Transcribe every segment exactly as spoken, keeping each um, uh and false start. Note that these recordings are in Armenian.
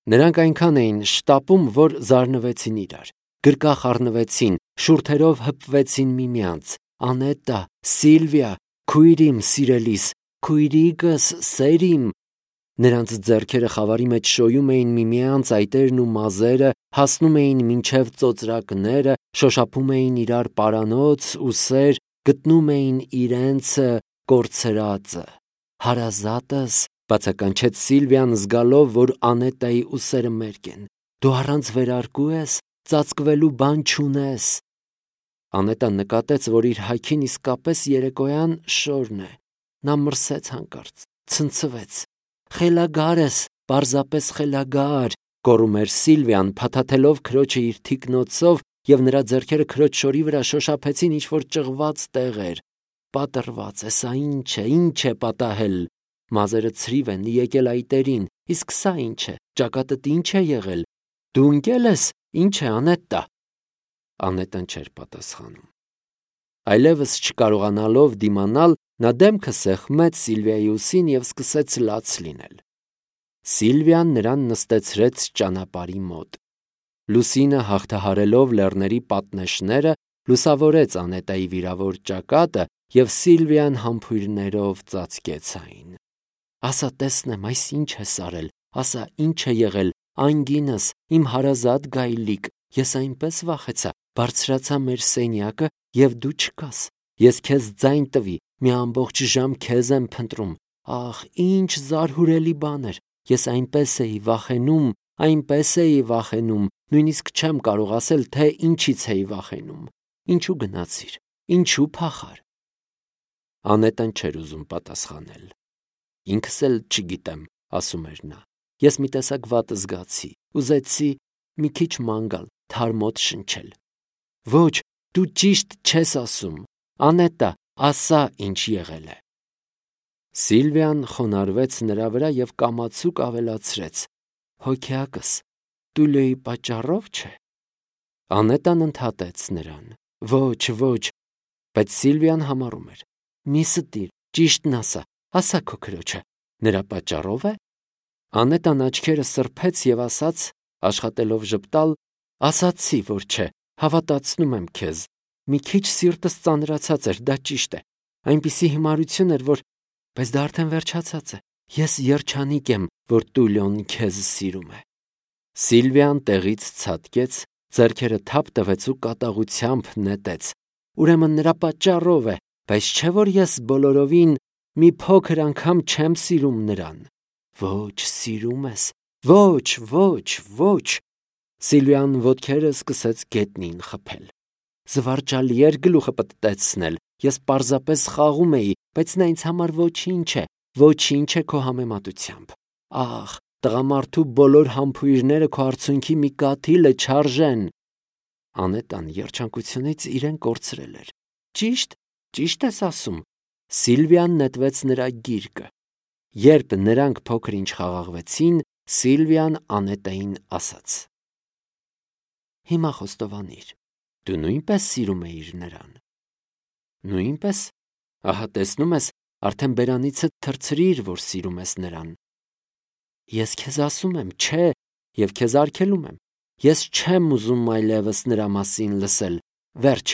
Նրանք այնքան էին շտապում, որ զարնվեցին իրար, գրկախ առնվեցին, շուրթերով հպվեցին միմյանց. «Անետա, Սիլվիա, քույրիմ սիրելիս, քույրիկս սերիմ»։ Նրանց ձեռքերը խավարի մեջ շոյում էին միմյանց այտերն ու մազերը, հասնում էին մինչև ծոծրակները, շոշափում էին իրար պարանոց ու սեր, գտնում էին իրենցը կորցրածը։ «Հարազատս», բացականչեց Սիլվիան, զգալով, որ Անետայի ուսերը մերկ են, «դու առանց վերարկու ես, ծածկվելու բան չունես»։ Անետան նկատեց, որ իր հագին իսկապես երեկոյան շորն է։ Նա մրսեց հանկարծ, ցնցվեց։ «Խելագար ես, պարզապես խելագար», գոռում էր Սիլվիան, փաթաթելով քրոջը իր թիկնոցով, և նրա ձեռքերը քրոջ շորի վրա շոշափեցին ինչ-որ ճղված տեղեր։ «Պատռված է, սա ի՞նչ է, ի՞նչ է պատահել»։ Մազերը ցրիվ են, եկել այտերին, իսկ սա ի՞նչ է, ճակատդ ի՞նչ է եղել։ Դու ընկե՞լ ես, ի՞նչ է, Անետտա։ Անետան չէր պատասխանում։ Այլևս չկարողանալով դիմանալ, նա դեմքը սեղմեց Սիլվիայի ուսին և սկսեց լաց լինել։ Սիլվիան նրան նստեցրեց ճանապարհի մոտ։ Լուսինը, հաղթահարելով լեռների պատնեշները, լուսավորեց Անետայի վիրավոր ճակատը, և Սիլվիան համբույրներով ծածկեց այն։ «Ասա տեսնեմ, այս ի՞նչ ես արել, ասա ի՞նչ է եղել, անգինս, իմ հարազատ գայլիկ, ես այնպես վախեցա, բարձրացա մեր սենյակը, և դու չկաս։ Ես քեզ ձայն տվի, մի ամբողջ ժամ քեզ եմ փնտրում։ Ահ, ինչ զարհուրելի բան էր, ես այնպես էի վախենում, այնպես էի վախենում, նույնիսկ չեմ կարող ասել, թե ինչից էի վախենում։ Ինչու գնացիր, ինչու փախար»։ Անետան չէր ուզում պատասխանել։ «Ինքս էլ չգիտեմ», ասում էր նա։ «Ես մի տեսակ վատ զգացի, ուզեցի մի քիչ ման գալ, թարմոտ շնչել»։ «Ոչ, դու ճիշտ չես ասում, Անետա, ասա, ինչ եղել է»։ Սիլվիան խոնարհվեց նրա վրա և կամացուկ ավելացրեց. «Հոգեակս, Տուլիոյի պատճառով չէ»։ Անետան ընդհատեց նրան. «Ոչ, ոչ», բայց Սիլվիան համառում էր. «Մի ստիր, ճիշտն ասա, ասա քո քրոջը, նրա պատճառով է»։ Անետան աչքերը սրբեց և ասաց, աշխատելով ժպտալ. «Ասացի, որ չէ, հավատացնում եմ քեզ։ Մի քիչ սիրտս ծանրացած էր, դա ճիշտ է, այնպիսի հիմարություն էր, որ… բայց դա արդեն վերջացած է։ Ես երջանիկ եմ, որ Տուլիոն քեզ սիրում է»։ Սիլվիան տեղից ցատկեց, ձեռքերը թափ տվեց ու կատաղությամբ նետեց. «Ուրեմն նրա պատճառով է, բայց չէ՞ որ ես բոլորովին մի փոքր անգամ չեմ սիրում նրան»։ «Ոչ, սիրում ես, ոչ, ոչ, ոչ»։ Սիլվիան ոտքերը սկսեց գետնին խփել։ «Զվարճալի էր գլուխը պտտեցնել, ես պարզապես խաղում էի, բայց նա ինձ համար ոչինչ է, ոչինչ է քո համեմատությամբ։ Ահ, տղամարդու բոլոր համբույրները քո արցունքի մի կաթիլը չարժեն»։ Անետան երջանկությունից իրեն կորցրել էր։ «Ճիշտ, ճիշտ ես ասում»։ Սիլվիան նետվեց նրա գիրկը։ Երբ նրանք փոքր-ինչ խաղաղվեցին, Սիլվիան Անետային ասաց. «Հիմա խոստովանիր, դու նույնպես սիրում էիր նրան»։ «Նույնպես, ահա տեսնում ես, արդեն բերանիցդ թռցրիր, որ սիրում ես նրան»։ «Ես քեզ ասում եմ, չէ, և քեզ արգելում եմ։ Ես չեմ ուզում այլևս նրա մասին լսել։ Վերջ,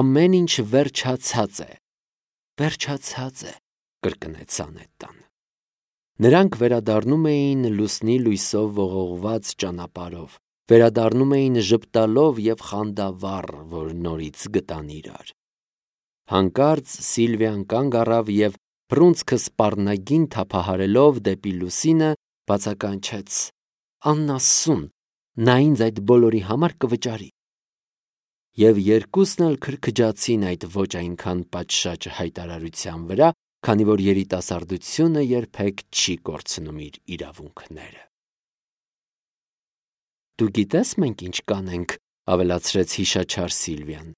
ամեն ինչ վերջացած է»։ «Վերջացած է», կրկնեց Անետան։ Նրանք վերադառնում էին լուսնի լույսով ողողված ճանապարհով, վերադառնում էին ժպտալով և խանդավառ, որ նորից գտան իրար։ Հանկարծ Սիլվիան կանգ առավ և, բռունցքը սպառնագին թափահարելով դեպի լուսինը, բացականչեց. «Անասուն, նա ինձ այդ բոլորի համար կվճարի»։ Եվ երկուսն էլ քրքջացին այդ ոչ այնքան պատշաճ հայտարարության վրա, քանի որ երիտասարդությունը երբեք չի կորցնում իր իրավունքները։ «Դու գիտես մենք ինչ կանենք», ավելացրեց հիշաչար Սիլվիան։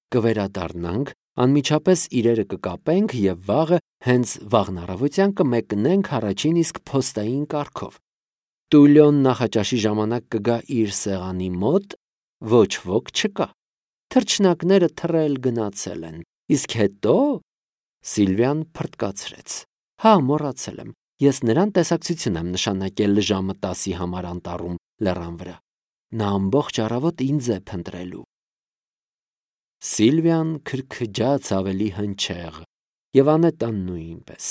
«Կվերադառնանք, անմիջապես իրերը կկապենք և վաղը, հենց վաղն առավոտյան կմեկնենք առաջին իսկ փոստային կառքով։ Տուլիոն նախաճաշի ժամանակ կգա իր սեղանի մոտ, ոչ ոք չկա։ Թռչնակները թռել գնացել են, իսկ հետո…» Սիլվիան փռթկացրեց. «Հա, մոռացել եմ, Ես նրան տեսակցություն եմ նշանակել ժամը տասի համար անտառում լեռան վրա։ Նա ամբողջ առավոտ ինձ է փնտրելու։ Սիլվիան քրքջաց ավելի հնչեղ, եւ Անետան նույնպես։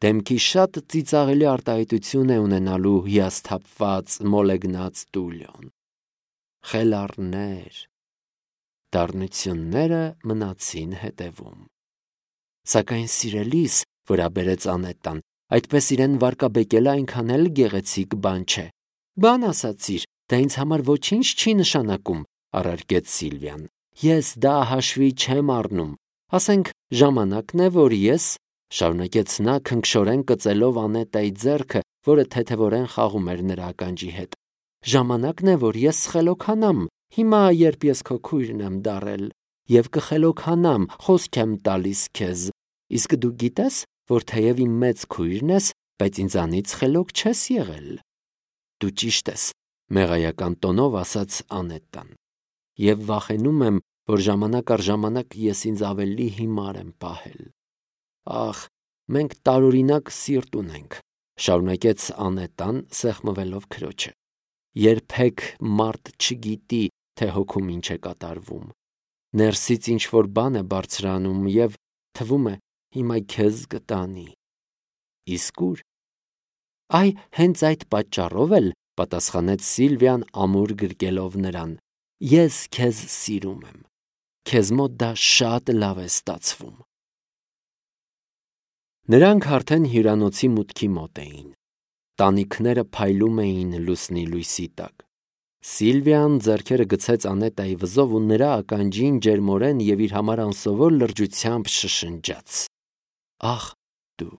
Դեմքի շատ ծիծաղելի արտահայտություն է ունենալու հիասթափված, մոլեգնած Տուլիոն։ Խելառներ, դառնությունները մնացին հետևում։ Սակայն սիրելիս, վրա բերեց Անետան, այդպես իրեն վարկաբեկելը այնքան էլ գեղեցիկ բան չէ։ Բան ասացիր, դա ինձ համար ոչինչ չի նշանակում, առարկեց Սիլվիան։ Ես դա հաշվի չեմ առնում։ Ասենք ժամանակն է, որ ես, շարունակեց նա քնքշորեն կծելով Անետայի ձեռքը, որը թեթևորեն խաղում էր նրա ականջի հետ։ Ժամանակն է, որ ես սխելոքանամ, հիմա երբ ես քո քույրն եմ դառել, եւ կխելոքանամ, խոսք եմ տալիս քեզ։ Իսկ դու գիտես, որ թեև իմ մեծ քույրն ես, բայց ինձանից խելոք չես եղել։ Դու ճիշտ ես, մեղայական տոնով ասաց Անետան։ Եվ վախենում եմ, որ ժամանակ առ ժամանակ ես ինձ ավելի հիմար եմ պահել։ Ախ, մենք տարօրինակ սիրտ ունենք, շարունակեց Անետան, սեղմվելով քրոջը։ Երբեք մարդ չգիտի, թե հոգում ինչ է կատարվում։ Ներսից ինչ որ բան է բարձրանում եւ թվում է հիմա քեզ կտանի։ Իսկ ուր։ Այ հենց այդ պատճառով էլ, պատասխանեց Սիլվիան ամուր գրկելով նրան, ես քեզ սիրում եմ։ Քեզ մոտ դա շատ լավ է ստացվում։ Նրանք արդեն հյուրանոցի մուտքի մոտ էին։ Տանիքները փայլում էին լուսնի լույսի տակ։ Սիլվիան ձեռքերը գցեց Անետայի վզով ու նրա ականջին ջերմորեն եւ իր համար անսովոր լրջությամբ շշնջաց. Ախ, դու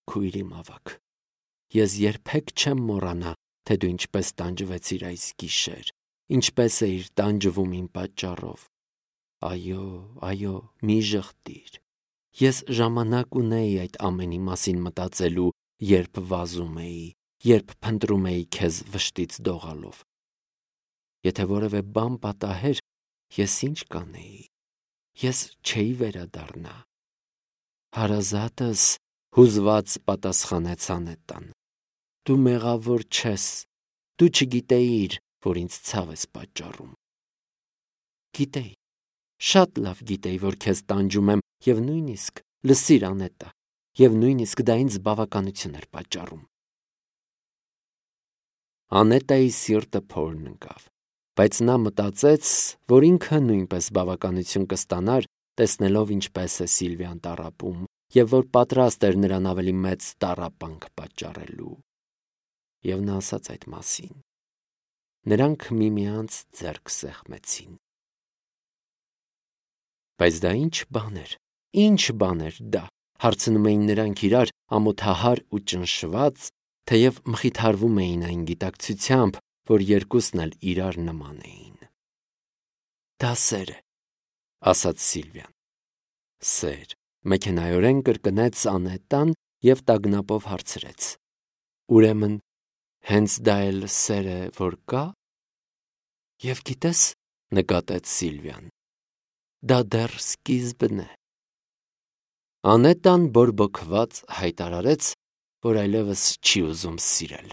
քույրի մավակ, ես երբեք չեմ մոռանա, թե դու ինչպես տանջվեցիր այս գիշեր, ինչպես էիր տանջվում իմ պատճառով։ Այո, այո, մի ժխտիր։ Ես ժամանակ ունեի այդ ամենի մասին մտածելու, երբ վազում էի, երբ փնտրում էի քեզ վշտից դողալով։ Եթե որևէ բան պատահեր, ես ինչ կանեի։ Ես չէի վերադառնա։ Հարազատս, հուզված պատասխանեց Անետան։ Դու մեղավոր չես, դու չգիտեիր, որ ինձ ցավ ես պատճառում։ Գիտեի, շատ լավ գիտեի, որ քեզ տանջում եմ եւ նույնիսկ, լսիր Անետա, եւ նույնիսկ դա ինձ բավականություն էր պատճառում։ Անետայի սիրտը փորն ընկավ, բայց նա մտածեց, որ ինքը նույնպես բավականություն կստանար, տեսնելով ինչպես է Սիլվիան տառապում, եւ որ պատրաստ էր նրան ավելի մեծ տառապանք պատճառելու։ Եվ նա ասաց այդ մասին։ Նրանք միմյանց ձեռք սեղմեցին։ Բայց դա ինչ բան էր, ինչ բան էր դա, հարցնում էին նրանք իրար ամոթահար ու ճնշված, թեև մխիթարվում էին այն գիտակցությամբ, որ երկուսն էլ իրար նման էին։ Դա սեր է, ասաց Սիլվիան։ Սեր, մեքենայորեն կրկնեց Անետան եւ տագնապով հարցրեց. Ուրեմն, հենց դա էլ սեր է, որ կա։ Եվ գիտես, նկատեց Սիլվիան, դա դեռ սկիզբն է։ Անետան բորբոքված հայտարարեց, որ այլևս չի ուզում սիրել։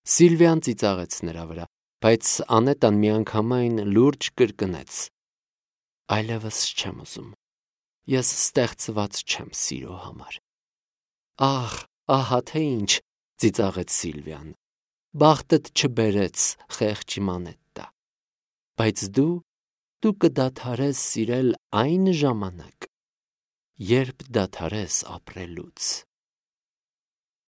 Սիլվիան ծիծաղեց նրա վրա, բայց Անետան միանգամայն լուրջ կրկնեց. Այլևս չեմ ուզում։ Ես ստեղծված չեմ սիրո համար։ Ախ, ահա թե ինչ, ծիծաղեց Սիլվիան։ Բախտդ չբերեց, խեղճ Անետա։ Բայց դու, դու կդադարես սիրել այն ժամանակ, երբ դադարես ապրելուց։